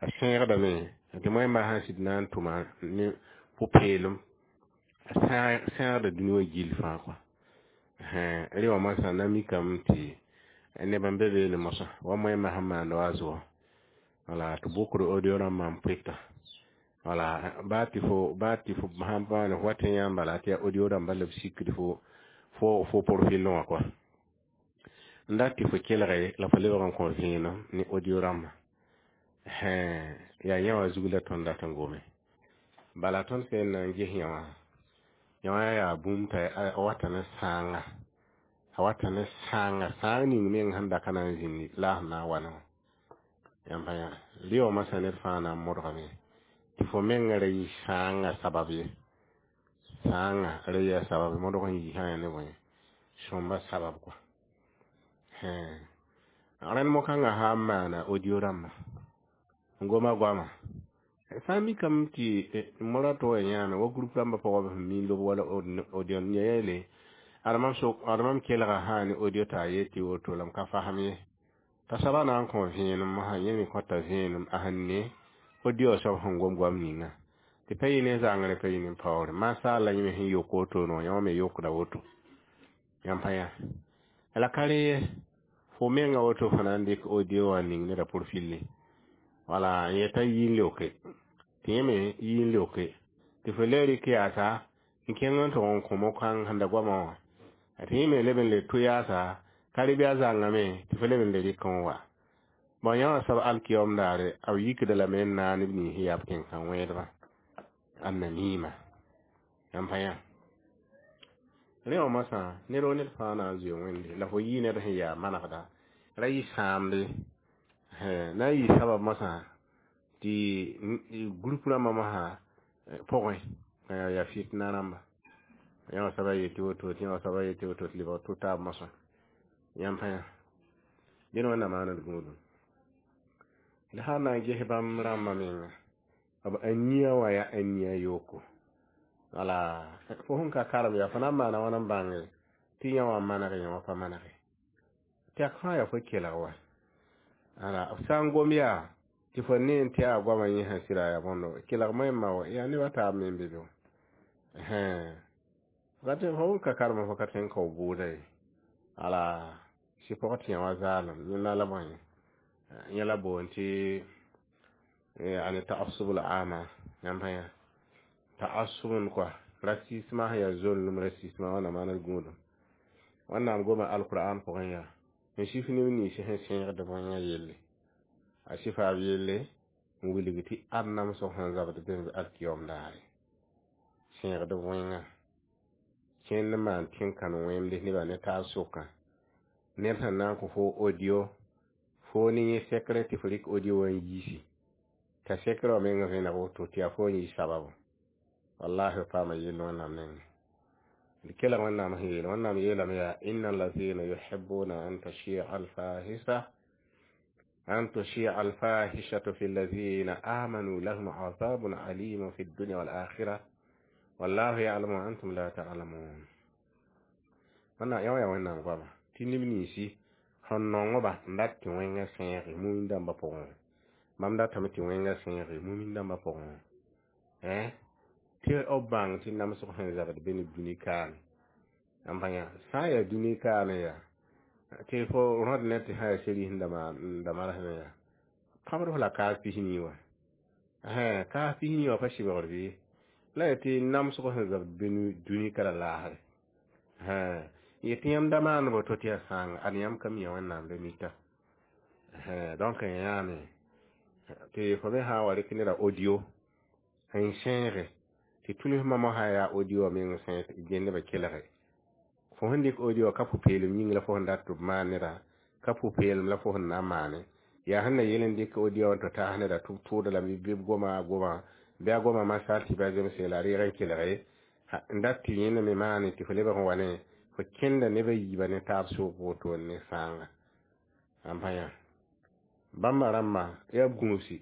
a sẽegdame tɩ moẽmbã sãn sɩd na n tʋma ne pʋ-peelem, a sẽegda dũni wã gill fãa kɔa. Rẽ wã mosã na mikame tɩ neb n be beene mosã wa moẽmbã sẽn maand wa zʋgɔ, wala tɩ bʋkd audio rãmbã n pʋɩta, wala baa tɩ fo baa tɩ fo sãn paane fo wat n yãmb bala tɩ yaa audio rãmbã la b sikd fo fo profil wã kɔa, n dat tɩ fo kelge la fo lebg n kõ vẽenem ne audio rãmbã. Yaa yã wã zug la tõnd dat n gome. Bala tõnd sẽn na n ges yã wã, yã wã yaa bũmb t'a a wata ne sãanga, a wata ne sãanga, sãang ning meng sẽn da ka na n zĩndi la a sẽn na n wa ne wã. Yãmb pa yã rɩ wã masã ned fãa na n modgame tɩ fo mengã ra yɩ sãangã sabab ye, sãangã ra yaa sabab modg n yi sã n yaa ne bõe sõmba sabab kɔa. Rẽnd mo-kãngã sã n maana audio rãmbã n goma goama, sã n mikame tɩ mora tɩ wa yãame wa group rãmbã pʋgã b sẽn miin lob wala audio yeele ad mam kelga sã ne audio t'a yet tɩ woto la m ka fasem ye, t'a soaba na n kõ vẽenem mosã, yẽ me kõta vẽenem a sẽn ne audio soab sẽn gom goam ninga tɩ pa yɩ ne zãngre, pa yɩ ne paoore. Masaal la yẽ me sẽn yok wotone wã, yã wã me yokda woto. Yãmb pa yã la ka rẽ ye, fo menga woto fo na n dɩk audio wã ning neda profil, wala n yeta yi n leoke tɩ yẽ me yi n leoke tɩ fo le rɩk yaasa n kẽng n tʋg n kõ mo-kãng sẽn da goamã wã, tɩ yẽ me leb n le tʋ yaasa ka rɩ bɩ a zãngame tɩ fo leb n le rɩk n wa. Bõn yã wã soab alkiyom daare b yikda lame n naag neb nins sẽn yaa b tẽn-kã-wẽedbã annamima. Yãmb pa yã rẽ wã mosã ned wo ned fãa na n zoe Wẽnde la fo yɩ ned sẽn yaa manegda ra yɩ sãamde na n yɩ sabab mosã tɩ group rãmbã mosã pʋgẽ ka yaa fitna rãmba. Yã wã soaba yetɩ woto tɩ yã wã soaba yetɩ woto tɩ lebg tʋ taab mosã. Yãmb pa yã dẽn Wẽnnaam maand gũudum la sã n na n ges bãmb rãmbã menga b ania wã yaa ania yooko. Wala fo sẽn ka karem yaa fo na n maana wãn n bãnge tɩ yã wã maneg yã wã pa manege tɛk fãa yaa fo kelg wa. Ala b sã n gom yaa tɩ fo ne n tɩ yaa goamã yẽ sẽn sɩda yaa bõndo kelg moẽmbã wa yaa neb a taab me n be be wã. Fo sẽn ka karem fo ka tõe n kao bʋʋda ye. Ala sɩ pʋgẽ tɩ yã wã zaalem yẽnda la bõe yẽ la boond tɩ yani ta'assub al-ama. Yãmb pa yã ta'assubun kɔa racisme sẽn yaa zoolem racisme wãnna maand gũudum. Wẽnnaam goma alquran pʋgẽ yaa n sif neb nins sẽn sẽegd wẽngã yelle, a sɩfa b yelle n wilg tɩ ad namsg sẽn zabd bẽmb alkiyom daare sẽegd wẽngã kẽnd n maan tẽn-kãn-wẽmde nebã ne taab sʋkã ned sẽn na n kõ fo audio fo ne yẽ sekre tɩ fo rɩk audio wã n yiisi t'a sekre wã meng vẽneg woto tɩ yaa fo n yɩ sababu. Wallahi b paama yell Wẽnnaam nengẽ. D kelg Wẽnnaam sẽn yeele, Wẽnnaam yeelame yaa inna allazina yuhibbuna an tashia alfahisa an tushia alfahishatu fi allazina amanu lahum azabun alimun fi dunya wal akhirah wallahu ya'lamu wa antum la ta'lamun. Wẽnnaam yã wã yaa Wẽnnaam goama tɩ neb ninsi sẽn nongba n dat tɩ wẽngã sẽege mumin dãmbã pʋgẽ, bãmb datame tɩ wẽngã sẽege mumin dãmbã pʋgẽ. Tɩ b bãng tɩ namsg sẽn zabd be ne dũni kaane n bãya sã n yaa dũni kaane yaa tɩ fo rõd ne tɩ sã yaa seris n da marsmẽ yaa pãbd f la kaas 40 wã kaas 40 wã pa sɩbgr bɩ la yaa tɩ namsg sẽn zabd be dũni ka la laasre yetɩ yãmb da maan woto tɩ yaa sãanga ad yãmb ka mi Wẽnnaam la mita. Donc yãame tɩ fo me sã n wa rɩk neda audio n sẽege tɩ tuls mamã sã yaa audio meng sẽn gẽ nebã kelge fo sẽn dɩk audio ka pʋ-peelem yĩng la fo sẽn dat tɩ b maan neda ka pʋ-peelem la fo sẽn na n maane yaa sẽn na yel n dɩk audio n tɩ taas neda tɩ b tʋʋda lame bɩ b goma goma bɩ a goma masal tɩ ba zemse la a reeg n kelge n dat tɩ yẽnda me maane tɩ fo lebg n wa ne fo kẽnda nebã yiibã ne taab sʋk woto ne sãanga n pa yã bãmba rãmbã yaa gũusi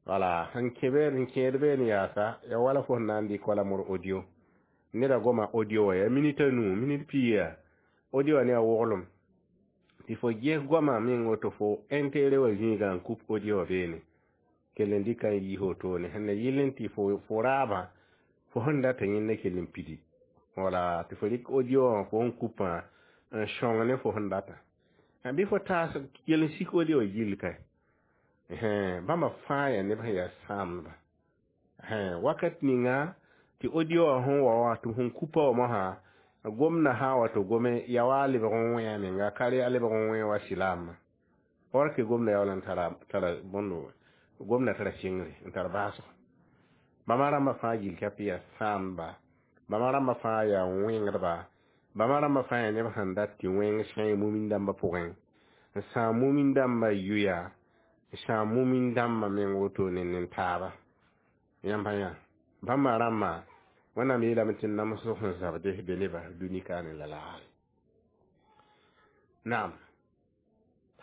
wala sẽn kẽ n kẽed beene yaasa ya wala fo sẽn na n dɩk wala mor audio neda goma audio wã yaa minit 5 minit 20 audio wã ne a woglem tɩ fo ges goamã meng woto fo intérêt wã zĩigã n kup audio wã beene kell n dɩka n yiis wotone sẽn na yɩl n tɩ fo raabã fo sẽn data yẽnda kell n pidi wala tɩ fo rɩk audio wã fo n kupã n sõng ne fo sẽn data bɩ fo taas kell n sik audio wã gill kae bãmba fãa yaa neb sẽn yaa sãamdba wakat ninga tɩ audio wã sẽn wa wã tɩ sẽn kupa wã mosã gomda sã n wa tɩ gome ya wa a lebg n wẽ a menga ka re a lebg n wẽ wa silaamã or ke gomda yaool n tara bõndo gomda tara sɩngre n tar baasgo bãmba rãmbã fãa gill ka tɩ yaa sãamdba bãmba rãmbã fãa yaa wẽngdba bãmba rãmbã fãa yaa neb sẽn dat tɩ wẽng sẽe mumin dãmbã pʋgẽ n sãam mumin dãmbã yʋya n sãam mumin dãmbã meng woto ne nen-taaba yãmb yã bãmba rãmbã Wẽnnaam yeelame tɩ namsg sẽn zabde be nebã dũni kaane la laagre naam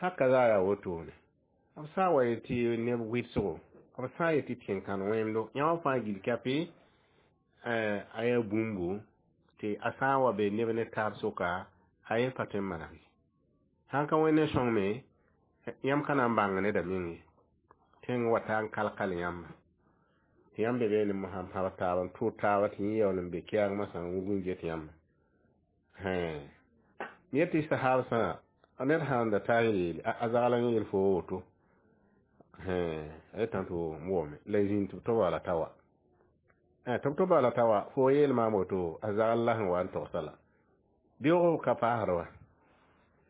haka zaa yaa wotone b sã n wa yetɩ neb wɩdsgo b sã n yetɩ tẽn-kãn wẽndo yã wã fãa gill kape a yaa bũmbu tɩ a sã n wa be neb ne taab sʋka a ye pa tõe n maneg ye sãn ka wẽnd n sõng me yãmb ka na n bãng neda meng ye tẽng wa ta n kal-kal yãmba tɩ yãmb be beene mosã n pãb taaba n tʋʋd taaba tɩ yẽ yaool n be kɛɛng masã n wug n get yãmba yet tɩ sahaabsã ned sãn da taa n yeele a zagl n yel fo woto a yetã tɩ m wome la zĩnd tɩ b tɩ wala ta wa tɩ b tɩ bala ta wa fo yeel maam woto a zagl la sẽn wa n togsa la beoog ka paasd wa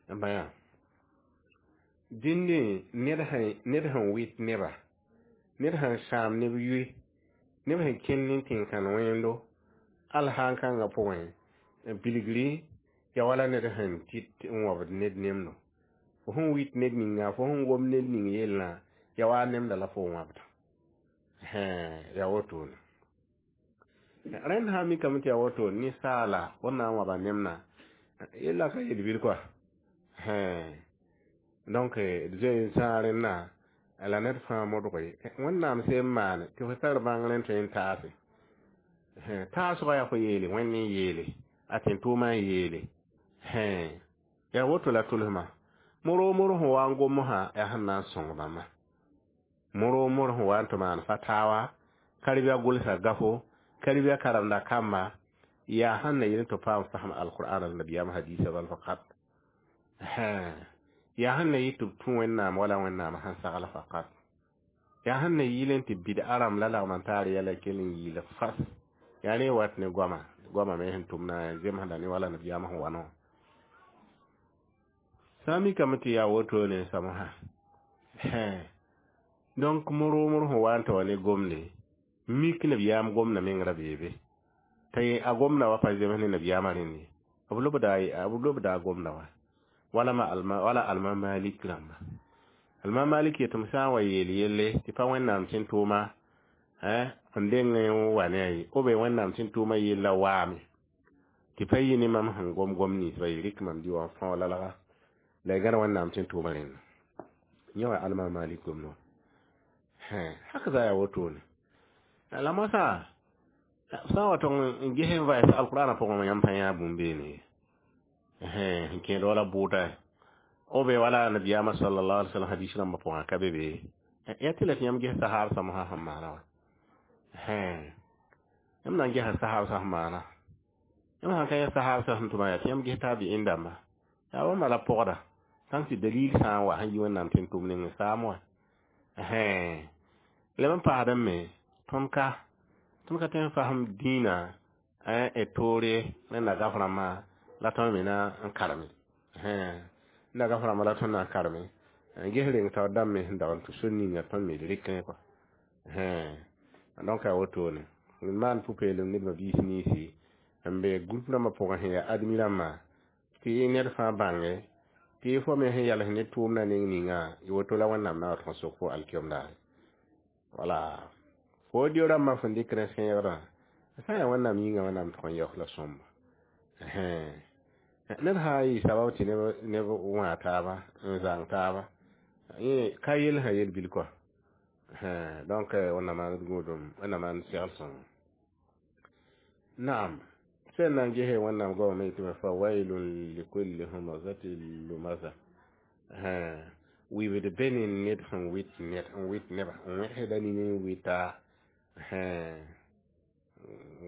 n pa yã dĩndẽ ned sẽn wɩt neba ned sẽn sãam neb yʋɩ neb sẽn kẽnd ne tẽn-kãn wẽndo al sãn kãngã pʋgẽ bilgri ya wala ned sẽn tɩt n wãbd ned nemdo fo sẽn wɩt ned ninga fo sẽn gom ned ning yellã ya wa nemda la fo wãbda ya wotone rẽnd sã n mikame tɩ ya woto ninsaala fo na n wãba nemna yella ka yel-bil koa donc d zoe n zãag rẽnda la ned fãa modge Wẽnnaam sẽn maane tɩ fo tar bãngr n tõe n taase taasgã yaa fo yeele Wẽnd n yeele a tẽn-tʋʋmã n yeele yaa woto la tʋlsmã moro sẽn wa n gom sã yaa sẽn na n sõng bãmba moro sẽn wa n tɩ maan fatawa karibia gʋlsa gafo karibia karemda kamba yaa sẽn na yel tɩ paam fasem alqur'an la nabiyaam hadisa bal faqat yaa sẽn na yɩ tɩ b tũ Wẽnnaam wala Wẽnnaam sẽn sagl faqat yaa sẽn na yɩl n tɩ bɩd-a rãmb la lagm n taar yɛla kell n yiil fas yaa rẽ wat ne goama goama me sẽn tʋmna zemsda ne wala nabiyaam sẽn wa no sã n mikame tɩ yaa wotone samsã donc moro sẽn wa n tɩ wa ne gomde mik nabiyaam gomda meng ra beebe t'a a gomda wa pa zems ne nabiyaamã rẽnd ye b lobda a gomda wa wala ma alma wala alma malik rãmba alma malik yetɩm sã n wa yeel yelle tɩ pa Wẽnnaam tẽn-tʋʋma n deng n wa ne a ye b Wẽnnaam tẽn-tʋʋmã yella waame tɩ pa yɩ ne mam sẽn gom gom ninsba ye rɩk mam dɩ wã n fão lalga la y gãd Wẽnnaam tẽn-tʋʋmã rẽnda yẽ wa alma malik gomd wã haka za yaa wotone la moasã sã n wa tong n ges n vaɩs alqur'anã pʋgẽ yãmb pa yã bũmb beene ye n kẽed wala bʋʋda o be wala nabiyaamã sallallahu alaihi wasallam hadis rãmbã pʋgã ka be be ya tɩ la tɩ yãmb ges sahaab sãmsã sẽn maana wã Yãmb na n gesa sahab sã sẽn maana. Yãmb sã n ka yã sahab sã sẽn tʋma yaa tɩ yãmb ges taabi'in dãmba. Yaa bãmba la pɔgda. Sãn tɩ dalil sã n wa sẽn yi Wẽnnaam tɩ n tʋm ning n saam wã. Leb n paasdẽ me, tõnd ka tõnd ka tõe n fasem dĩinã d toore rẽnda gaf rãmbã la tõnd me na n kareme. Rẽnda gaf rãmbã la tõnd na n kareme. N ges reng taoor dãmb me sẽn dag n tũ sor ninga tõnd me d rɩkẽ kɔa. Donc a wotone. D maan pʋ-peelem ned ma-biis ninsi n be group rãmbã pʋgẽ sẽn yaa admi rãmbã tɩ ned fãa bãnge tɩ fo me sẽn yals ne tʋʋmdã neng ninga y woto la Wẽnnaam na wa tõg sok fo alkiom daare. Wala fo dio rãmbã fõn dɩk rẽ sẽegdã sã n yaa Wẽnnaam yĩnga Wẽnnaam tʋg n yaoos la sõmba. Ned sã n yɩ sabab tɩ neb wã taaba n zãng taaba yẽ ka yel sã yel-bil kɔa. Donc Wẽnnaam maan d gũudum, Wẽnnaam maan segl sõngo. Naam. Sẽn na n gese Wẽnnaam goamame yetɩ me fa wailun likulli humazatin lumaza. Wibd be ne ned sẽn wɩt ned n wɩt neba n wẽgsda nini n wɩta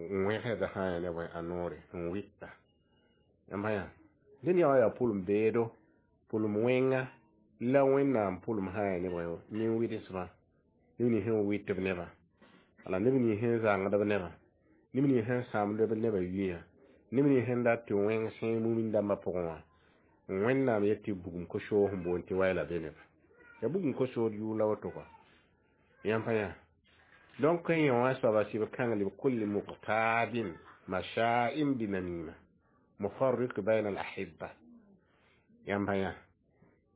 n wẽgsda sã n ya ne bõe a noore n wɩta. Yãmb yã dẽn yã wã yaa pʋlem beedo, pʋlem wẽnga la Wẽnnaam pʋlem sã n ya ne bõe nin-wɩdsmã, neb nins sẽn wɩt b nebã, wala neb nins sẽn zãngd b nebã, neb nins sẽn sãamd b nebã yʋyã, neb nins sẽn dat tɩ wẽng sẽe mumin dãmbã pʋgẽ wã, Wẽnnaam yet tɩ bugum ko-soog sẽn boond tɩ wayla be neba. Ya bugum ko-sood yʋʋr la woto kɔa. Yãmb pa yã. Donc yẽ wã soaba sɩb kãng lb kulli muqtadin masha'in binamima mufarriq bayna al-ahibba. Yãmb pa yã.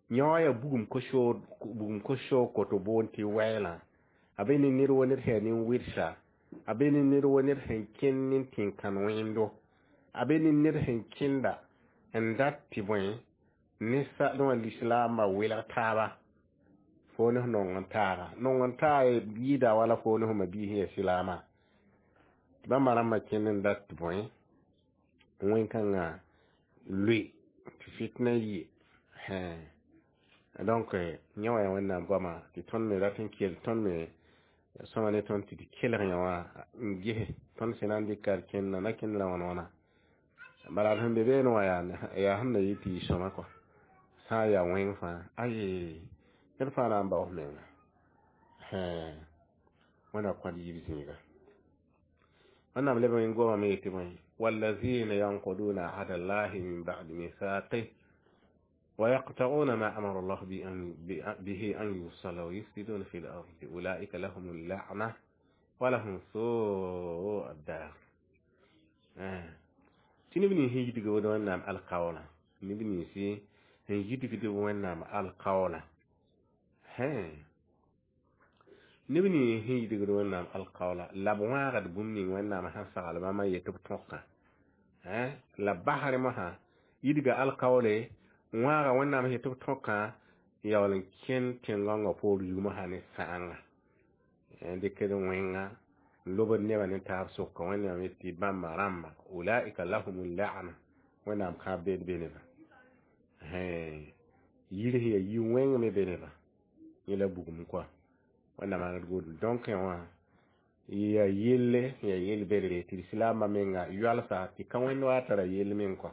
Yẽ wã yaa bugum ko-soog koto boond tɩ wɛɛlã. A be ne ned wo ned sẽn yaa nin-wɩdsa, a be ne ned wo ned sẽn kẽnd ne tẽn-kãn wẽndo, a be ne ned sẽn kẽnda n dat tɩ bõe ne wã lislaambã welg taaba fo ne f nong n taaga. Nong n taag yɩɩda wala fo ne f ma-biis sẽn yaa silaamã. Tɩ bãmba rãmbã kẽnd n dat tɩ bõe wẽn-kãngã loe tɩ fitna yɩ. Donc yẽ wã yaa Wẽnnaam goama tɩ tõnd me rat n kell tõnd me sõma ne tõnd tɩ d kelg yã wã n ges tõnd sẽn na n dɩka d kẽnda na kẽnd la wãn wãna. Bala sẽn be beene wã yaa sẽn na yɩ tɩ yɩ sõma kɔa. Sã n yaa wẽng fãa aye ned fãa na n baoos menga. Wẽnna kõt yiib zĩiga. Wẽnnaam leb n goamame yetɩ bõe wallazina yanquduna ahda allahi min ba'di mithaqih wa yaqta'una ma amara Allah bihi an yusala wa yufsiduna fi al-ardi ulaika lahum al-la'na wa lahum su'u ad-dar. Tɩ neb nins sẽn yidg Wẽnnaam alkaoola, neb nins sẽn yidgd Wẽnnaam alkaoola, neb nins sẽn yidgd Wẽnnaam alkaoola la b wãagd bũmb ning Wẽnnaam sẽn sagl bãmb n yet b tõkã, la b basrẽ mosã yidga alkaoole wãaga Wẽnnaam sẽn yet b tõkã n yaool n kẽnd tẽn-gãongã poor zug mosã ne sãanga, n dɩkd wẽnga n lobd nebã ne taab sʋka. Wẽnnaam yet tɩ bãmba rãmba ulaika lahum la'na, Wẽnnaam kãab beed be nebã. Yir sẽn yaa yi-wẽng me be nebã, yẽ la bugum kɔa. Wẽnnaam maan d gũudum. Donc yã wã yaa yelle sẽn yaa yel-bedre tɩ lislaambã menga yoalsa tɩ ka wẽnd wa tara yell meng kɔa.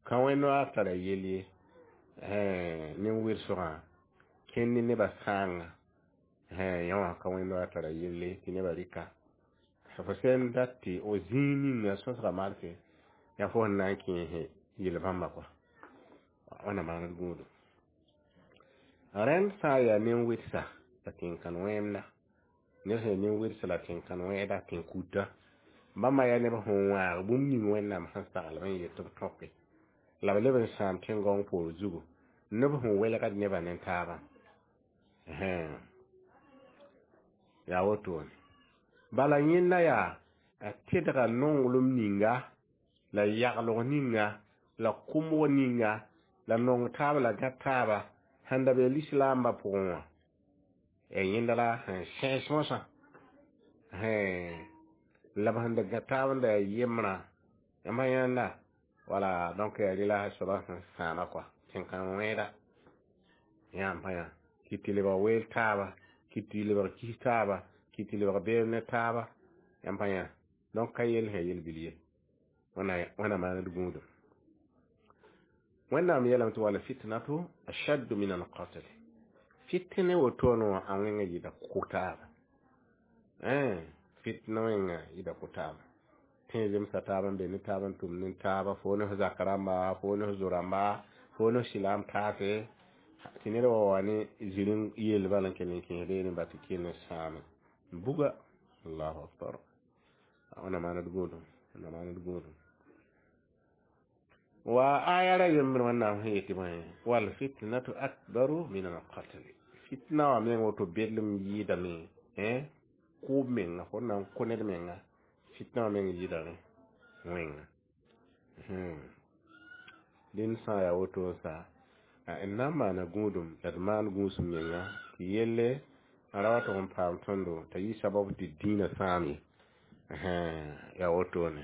Ka wẽnd wa tara yell ye nin-wɩlsgã kẽnd ne nebã sãanga. Yã wã ka wẽnd wa tara yelle tɩ nebã rɩka. Fo sẽn dat tɩ o zĩig ninga sõsga malse yaa fo sẽn na n kẽese yel-bãmba kɔa. Wẽnnaam maan d gũudum. Rẽnd sã n yaa nin-wɩdsa la tẽn-kãn wẽemda, ned sẽn yaa nin-wɩdsa la tẽn-kãn wẽeda tẽn-kuta, bãmba yaa neb sẽn wãag bũmb ning Wẽnnaam sẽn sagl n yet tɩ b tõke la b leb n sãam tẽn-gãong poor zugu, neb sẽn welgd nebã ne taabã. Yaa wotone. Bala yẽnda yaa a tedga nonglem ninga la yaglg ninga la kʋmg ninga la nong taab la gã taaba sẽn da be lislaambã pʋgẽ wã. Yẽnda la sẽn sẽes mosã la b sẽn da gã taab n da yaa yembrã. Yãmb yãnda wala donc yaa rɩla soaba sẽn sãama kɔa tẽn-kãn wẽeda. Yãmb pa yã kɩ tɩ lebg weel taaba, kɩ tɩ lebg kis taaba, kɩ tɩ lebg beem ne taaba. Yãmb pa yã donc ka yell sẽn yel-bil ye. Wẽna maand gũudum. Wẽnnaam yeelame tɩ wal fitnatu ashaddu min alqatl. Fitne wotone wã a wẽnga yɩɩda kʋ-taaba. Fitna wẽnga yɩɩda kʋ-taaba. Tẽ zemsa taab n be ne taab n tʋm ne taaba, fo ne f zak rãmba, fo ne f zo-rãmba, fo ne f sɩlaam taase, tɩ ned wa wa ne zĩr n yeel bala n kell n kẽes reene ba tɩ kell n sãame buga. Allahu akbar. Wẽna maand gũudum, wẽna maand gũudum. Wa aya ra yembr wẽnnaam sẽn yetɩ bõe wal fitnatu akbaru min alqatl. Fitna wã meng woto bedlem yɩɩdame kʋʋb menga, fo na n kõ ned menga, fitna wã meng yɩɩda rẽ wẽnga. Dẽnd sã n yaa woto n sa n na n maana gũudum la d maan gũusum menga tɩ yelle n ra wa tʋg n paam tõndo t'a yɩ sabab tɩ dĩinã sãam ye. Yaa wotone.